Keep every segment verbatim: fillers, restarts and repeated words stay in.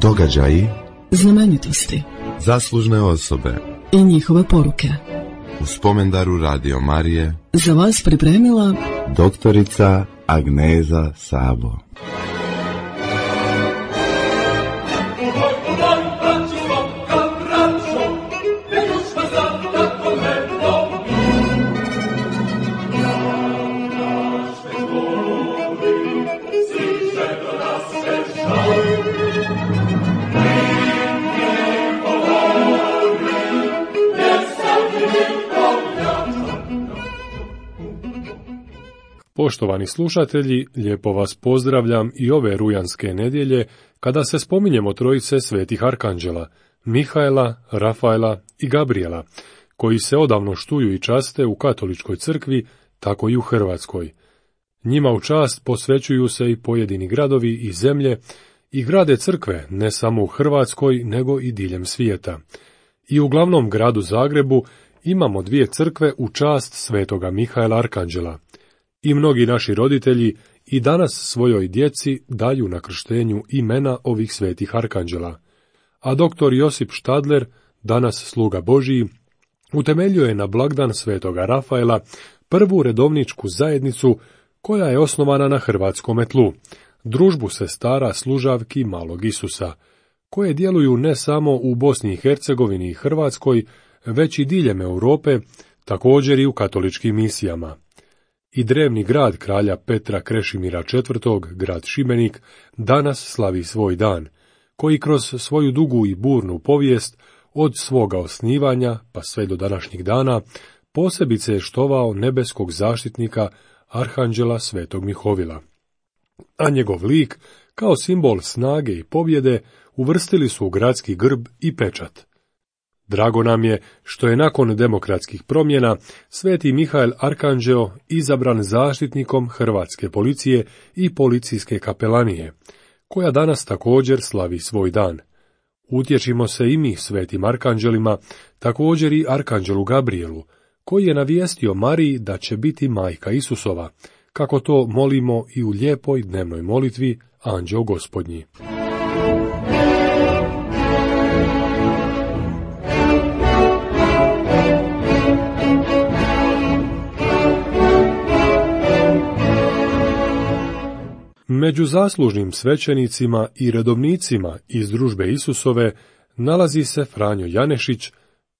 Događaji, znamenitosti, zaslužne osobe i njihove poruke. U spomendaru Radio Marije Za vas pripremila doktorica Agneza Sabo. Poštovani slušatelji, lijepo vas pozdravljam i ove rujanske nedjelje kada se spominjemo trojice svetih arkanđela, Mihaela, Rafaela i Gabriela, koji se odavno štuju i časte u katoličkoj crkvi, tako i u Hrvatskoj. Njima u čast posvećuju se i pojedini gradovi i zemlje i grade crkve ne samo u Hrvatskoj nego i diljem svijeta. I u glavnom gradu Zagrebu imamo dvije crkve u čast svetoga Mihaela Arkanđela. I mnogi naši roditelji i danas svojoj djeci daju na krštenju imena ovih svetih arkanđela. A doktor Josip Štadler, danas sluga Božiji, utemeljuje na blagdan svetoga Rafaela prvu redovničku zajednicu koja je osnovana na hrvatskome tlu, družbu sestara služavki Malog Isusa, koje djeluju ne samo u Bosni i Hercegovini i Hrvatskoj, već i diljem Europe, također i u katoličkim misijama. I drevni grad kralja Petra Krešimira četvrtog, grad Šibenik, danas slavi svoj dan, koji kroz svoju dugu i burnu povijest, od svoga osnivanja pa sve do današnjih dana, posebice je štovao nebeskog zaštitnika, arhanđela svetog Mihovila. A njegov lik, kao simbol snage i pobjede, uvrstili su u gradski grb i pečat. Drago nam je što je nakon demokratskih promjena sveti Mihael Arkanđeo izabran zaštitnikom hrvatske policije i policijske kapelanije, koja danas također slavi svoj dan. Utječimo se i mi svetim arkanđelima, također i arkanđelu Gabrielu, koji je navijestio Mariji da će biti majka Isusova, kako to molimo i u lijepoj dnevnoj molitvi Anđeo Gospodnji. Među zaslužnim svećenicima i redovnicima iz družbe Isusove nalazi se Franjo Janešić,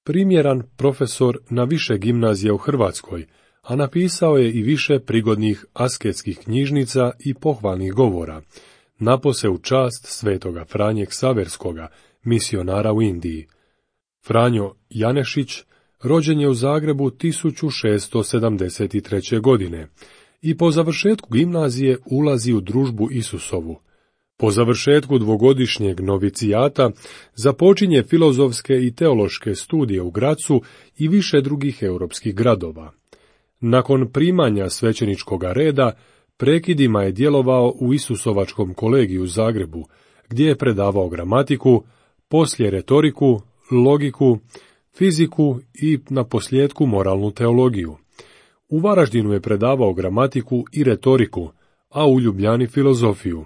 primjeran profesor na više gimnazija u Hrvatskoj, a napisao je i više prigodnih asketskih knjižnica i pohvalnih govora, napose u čast svetoga Franje Ksaverskoga, misionara u Indiji. Franjo Janešić rođen je u Zagrebu tisuću šeststo sedamdeset treće. godine, i po završetku gimnazije ulazi u družbu Isusovu. Po završetku dvogodišnjeg novicijata započinje filozofske i teološke studije u Gracu i više drugih europskih gradova. Nakon primanja svećeničkoga reda, prekidima je djelovao u Isusovačkom kolegiju u Zagrebu, gdje je predavao gramatiku, poslije retoriku, logiku, fiziku i naposljetku moralnu teologiju. U Varaždinu je predavao gramatiku i retoriku, a u Ljubljani filozofiju.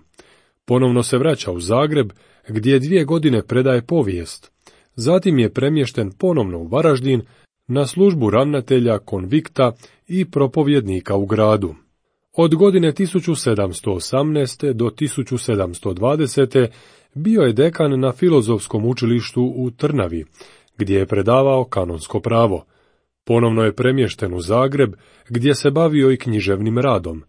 Ponovno se vraća u Zagreb, gdje dvije godine predaje povijest. Zatim je premješten ponovno u Varaždin na službu ravnatelja konvikta i propovjednika u gradu. Od godine tisuću sedamsto osamnaeste. do tisuću sedamsto dvadesete. bio je dekan na Filozofskom učilištu u Trnavi, gdje je predavao kanonsko pravo. Ponovno je premješten u Zagreb, gdje se bavio i književnim radom.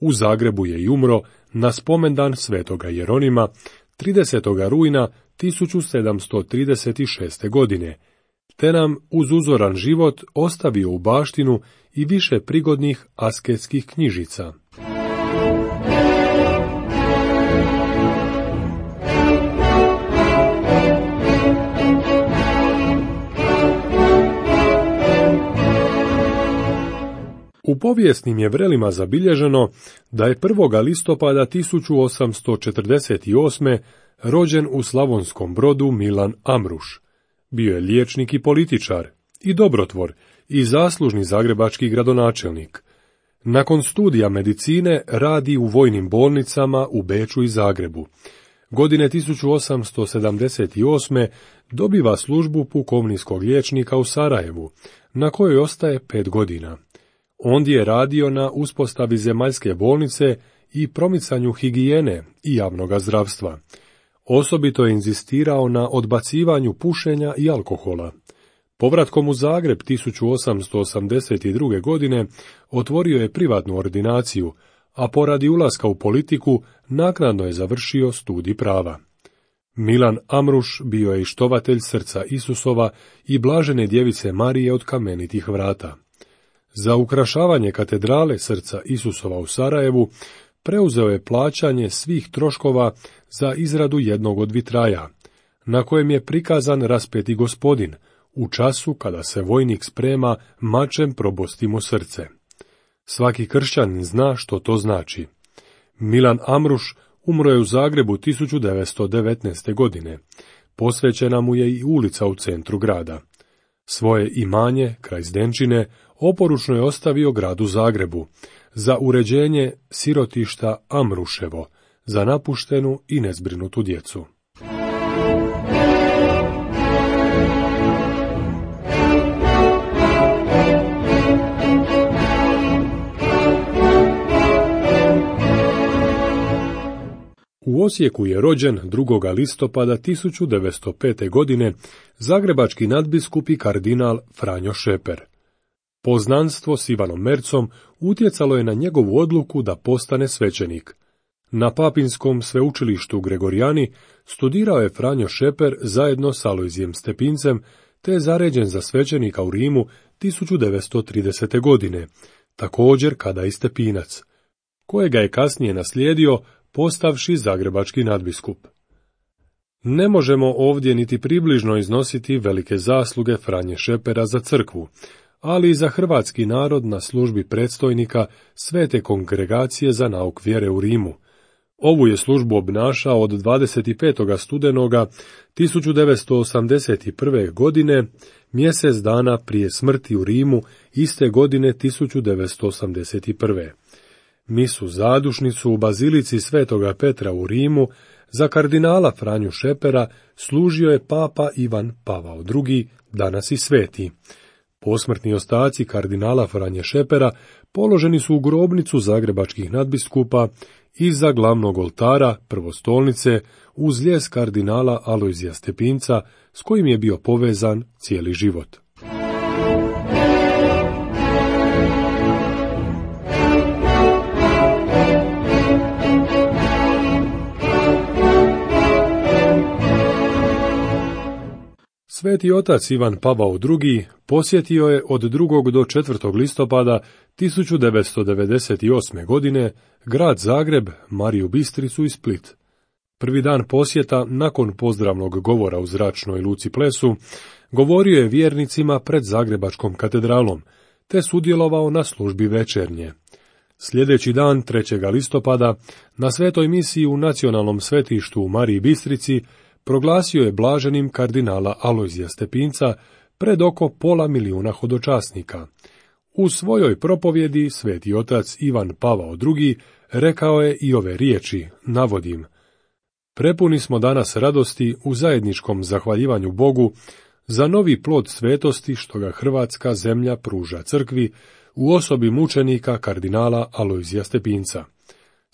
U Zagrebu je i umro na spomendan svetoga Jeronima tridesetog rujna tisuću sedamsto trideset šeste. godine, te nam uz uzoran život ostavio u baštinu i više prigodnih asketskih knjižica. U povijesnim je vrelima zabilježeno da je prvog listopada tisuću osamsto četrdeset osme. rođen u Slavonskom Brodu Milan Amruš. Bio je liječnik i političar, i dobrotvor, i zaslužni zagrebački gradonačelnik. Nakon studija medicine radi u vojnim bolnicama u Beču i Zagrebu. Godine tisuću osamsto sedamdeset osme. dobiva službu pukovniskog liječnika u Sarajevu, na kojoj ostaje pet godina. Ondje je radio na uspostavi zemaljske bolnice i promicanju higijene i javnog zdravstva. Osobito je inzistirao na odbacivanju pušenja i alkohola. Povratkom u Zagreb tisuću osamsto osamdeset druge. godine otvorio je privatnu ordinaciju, a poradi ulaska u politiku naknadno je završio studij prava. Milan Amruš bio je i štovatelj srca Isusova i blažene djevice Marije od kamenitih vrata. Za ukrašavanje katedrale srca Isusova u Sarajevu preuzeo je plaćanje svih troškova za izradu jednog od vitraja, na kojem je prikazan raspeti Gospodin, u času kada se vojnik sprema mačem probosti mu srce. Svaki kršćanin zna što to znači. Milan Amruš umro je u Zagrebu tisuću devetsto devetnaeste. godine. Posvećena mu je i ulica u centru grada. Svoje imanje, kraj Zdenčine, oporučno je ostavio gradu Zagrebu, za uređenje sirotišta Amruševo, za napuštenu i nezbrinutu djecu. U Osijeku je rođen drugog listopada tisuću devetsto pete. godine zagrebački nadbiskup i kardinal Franjo Šeper. Poznanstvo s Ivanom Mercom utjecalo je na njegovu odluku da postane svećenik. Na Papinskom sveučilištu u Gregorijani studirao je Franjo Šeper zajedno s Alojzijem Stepincem, te je zaređen za svećenika u Rimu tisuću devetsto tridesete. godine, također kada i Stepinac, kojega je kasnije naslijedio postavši zagrebački nadbiskup. Ne možemo ovdje niti približno iznositi velike zasluge Franje Šepera za crkvu, ali i za hrvatski narod na službi predstojnika Svete kongregacije za nauk vjere u Rimu. Ovu je službu obnašao od dvadeset petog studenoga tisuću devetsto osamdeset prve. godine, mjesec dana prije smrti u Rimu, iste godine tisuću devetsto osamdeset prve. Misu zadušnicu u bazilici Svetoga Petra u Rimu za kardinala Franju Šepera služio je papa Ivan Pavao drugi, danas i sveti. Posmrtni ostaci kardinala Franje Šepera položeni su u grobnicu zagrebačkih nadbiskupa iza glavnog oltara prvostolnice uz lijes kardinala Alojzija Stepinca, s kojim je bio povezan cijeli život. Sveti otac Ivan Pavao drugi posjetio je od drugog do četvrtog listopada tisuću devetsto devedeset osme. godine grad Zagreb, Mariju Bistricu i Split. Prvi dan posjeta, nakon pozdravnog govora u zračnoj luci Plesu, govorio je vjernicima pred Zagrebačkom katedralom, te sudjelovao na službi večernje. Sljedeći dan, trećeg listopada, na svetoj misiji u nacionalnom svetištu u Mariji Bistrici, proglasio je blaženim kardinala Alojzija Stepinca pred oko pola milijuna hodočasnika. U svojoj propovjedi sveti otac Ivan Pavao drugi rekao je i ove riječi, navodim: Prepuni smo danas radosti u zajedničkom zahvaljivanju Bogu za novi plod svetosti što ga hrvatska zemlja pruža crkvi u osobi mučenika kardinala Alojzija Stepinca.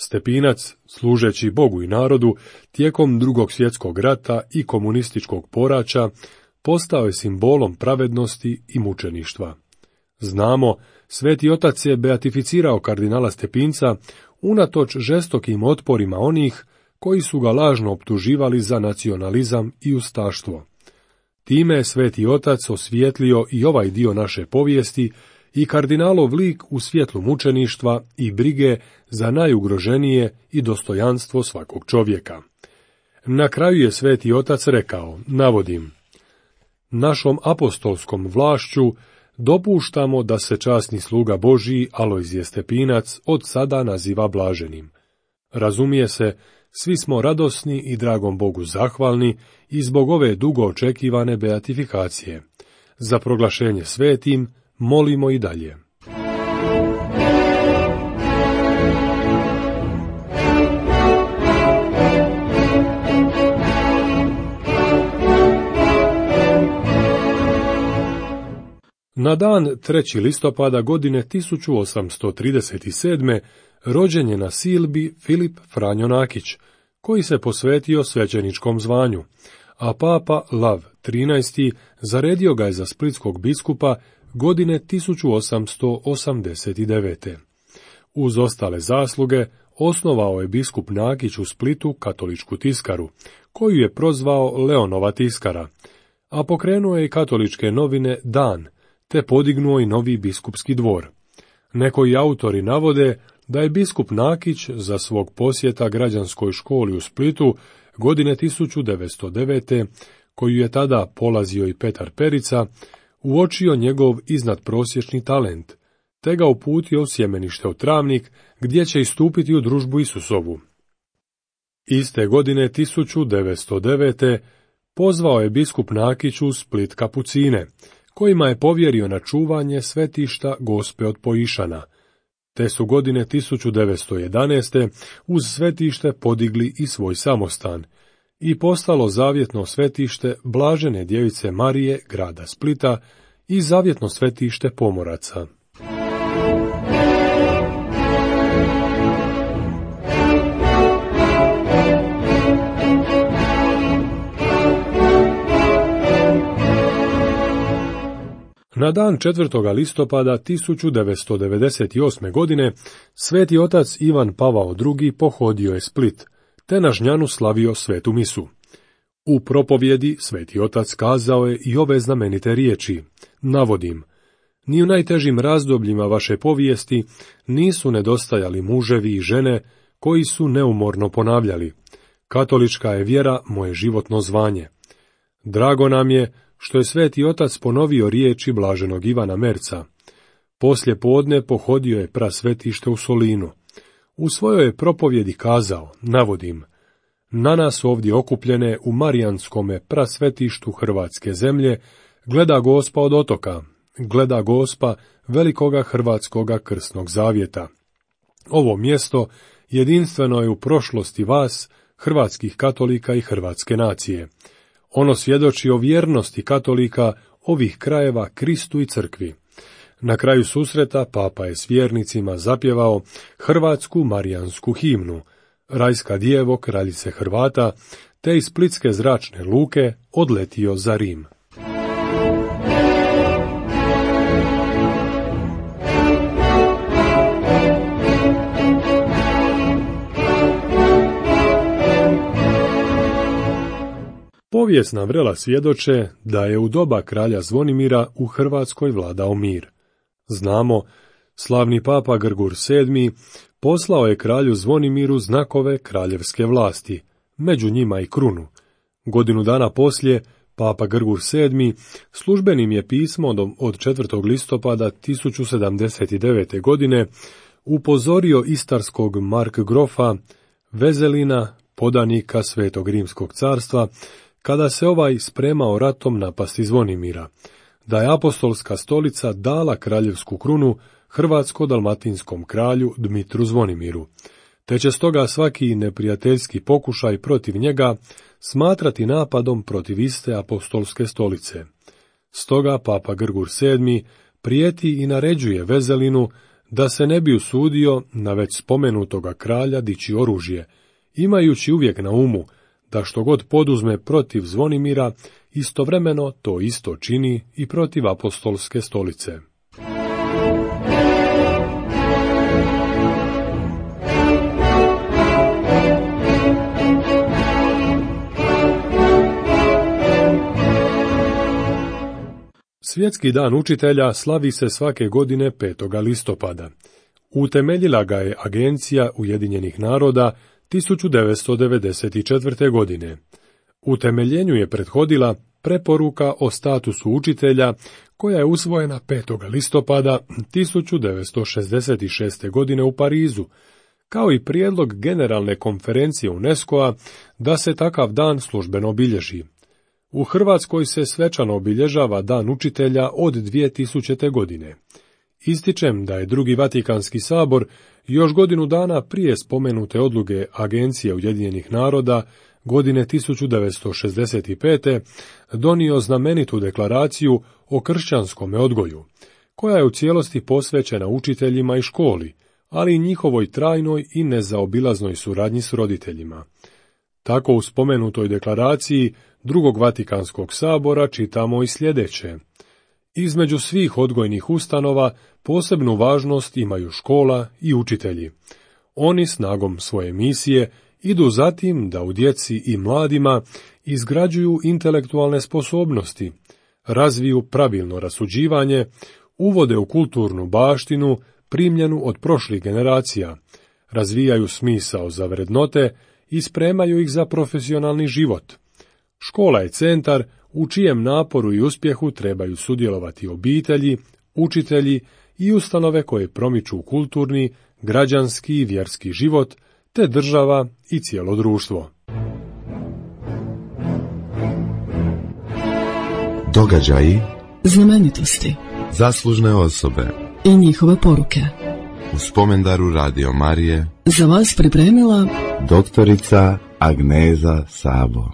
Stepinac, služeći Bogu i narodu, tijekom drugog svjetskog rata i komunističkog poraća, postao je simbolom pravednosti i mučeništva. Znamo, sveti otac je beatificirao kardinala Stepinca unatoč žestokim otporima onih koji su ga lažno optuživali za nacionalizam i ustaštvo. Time je sveti otac osvijetlio i ovaj dio naše povijesti i kardinalov lik u svjetlu mučeništva i brige za najugroženije i dostojanstvo svakog čovjeka. Na kraju je sveti otac rekao, navodim: Našom apostolskom vlašću dopuštamo da se časni sluga Božiji Alojzije Stepinac od sada naziva blaženim. Razumije se, svi smo radosni i dragom Bogu zahvalni i zbog ove dugo očekivane beatifikacije. Za proglašenje svetim molimo i dalje. Na dan trećeg listopada godine tisuću osamsto trideset sedme. rođen je na Silbi Filip Franjo Nakić, koji se posvetio svećeničkom zvanju, a papa Lav trinaesti. zaredio ga je za splitskog biskupa godine tisuću osamsto osamdeset devete. Uz ostale zasluge, osnovao je biskup Nakić u Splitu katoličku tiskaru, koju je prozvao Leonova tiskara, a pokrenuo je i katoličke novine Dan, te podignuo i novi biskupski dvor. Nekoji autori navode da je biskup Nakić za svog posjeta građanskoj školi u Splitu godine tisuću devetsto devete. koju je tada polazio i Petar Perica, uočio njegov iznadprosječni talent, te ga uputio u sjemenište u Travnik, gdje će istupiti u družbu Isusovu. Iste godine tisuću devetsto devete. pozvao je biskup Nakić u Split kapucine, kojima je povjerio na čuvanje svetišta Gospe od Poišana, te su godine tisuću devetsto jedanaeste. uz svetište podigli i svoj samostan i postalo zavjetno svetište Blažene djevice Marije grada Splita i zavjetno svetište pomoraca. Na dan četvrtog listopada tisuću devetsto devedeset osme. godine sveti otac Ivan Pavao drugi. pohodio je Split, te na Žnjanu slavio svetu misu. U propovjedi sveti otac kazao je i ove znamenite riječi, navodim, ni u najtežim razdobljima vaše povijesti nisu nedostajali muževi i žene koji su neumorno ponavljali, katolička je vjera moje životno zvanje. Drago nam je što je sveti otac ponovio riječi blaženog Ivana Merca. Poslije podne pohodio je prasvetište u Solinu. U svojoj je propovjedi kazao, navodim, na nas ovdje okupljene u Marijanskome prasvetištu Hrvatske zemlje gleda Gospa od otoka, gleda Gospa velikoga Hrvatskoga krsnog zavjeta. Ovo mjesto jedinstveno je u prošlosti vas, hrvatskih katolika i hrvatske nacije. Ono svjedoči o vjernosti katolika ovih krajeva Kristu i crkvi. Na kraju susreta papa je s vjernicima zapjevao hrvatsku marijansku himnu, Rajska djevo kraljice Hrvata, te iz Splitske zračne luke odletio za Rim. Povijesna vrela svjedoče da je u doba kralja Zvonimira u Hrvatskoj vladao mir. Znamo, slavni papa Grgur sedmi. poslao je kralju Zvonimiru znakove kraljevske vlasti, među njima i krunu. Godinu dana poslije, papa Grgur sedmi. službenim je pismom od četvrtog listopada tisuću sedamdeset devete. godine upozorio istarskog markgrofa Vezelina, podanika Svetog Rimskog carstva, kada se ovaj spremao ratom napasti Zvonimira, da je apostolska stolica dala kraljevsku krunu hrvatsko-dalmatinskom kralju Dmitru Zvonimiru, te će stoga svaki neprijateljski pokušaj protiv njega smatrati napadom protiv iste apostolske stolice. Stoga papa Grgur sedmi. prijeti i naređuje Vezelinu da se ne bi usudio na već spomenutoga kralja dići oružje, imajući uvijek na umu da što god poduzme protiv Zvonimira, istovremeno to isto čini i protiv apostolske stolice. Svjetski dan učitelja slavi se svake godine petog listopada. Utemeljila ga je Agencija Ujedinjenih naroda tisuću devetsto devedeset četvrte. godine. Utemeljenju je prethodila preporuka o statusu učitelja koja je usvojena petog listopada tisuću devetsto šezdeset šeste. godine u Parizu, kao i prijedlog Generalne konferencije UNESCO-a da se takav dan službeno obilježi. U Hrvatskoj se svečano obilježava Dan učitelja od dvije tisućite. godine. Ističem da je drugi Vatikanski sabor još godinu dana prije spomenute odluke Agencije Ujedinjenih naroda godine tisuću devetsto šezdeset pete. donio znamenitu deklaraciju o kršćanskom odgoju, koja je u cijelosti posvećena učiteljima i školi, ali i njihovoj trajnoj i nezaobilaznoj suradnji s roditeljima. Tako u spomenutoj deklaraciji Drugog Vatikanskog sabora čitamo i sljedeće. Između svih odgojnih ustanova posebnu važnost imaju škola i učitelji. Oni snagom svoje misije idu zatim da u djeci i mladima izgrađuju intelektualne sposobnosti, razviju pravilno rasuđivanje, uvode u kulturnu baštinu primljenu od prošlih generacija, razvijaju smisao za vrednote i spremaju ih za profesionalni život. Škola je centar u čijem naporu i uspjehu trebaju sudjelovati obitelji, učitelji i ustanove koje promiču kulturni, građanski i vjerski život, te država i cijelo društvo. Događaji, znamenitosti zaslužne osobe i njihove poruke. U spomendaru Radio Marije Za vas pripremila doktorica Agneza Sabo.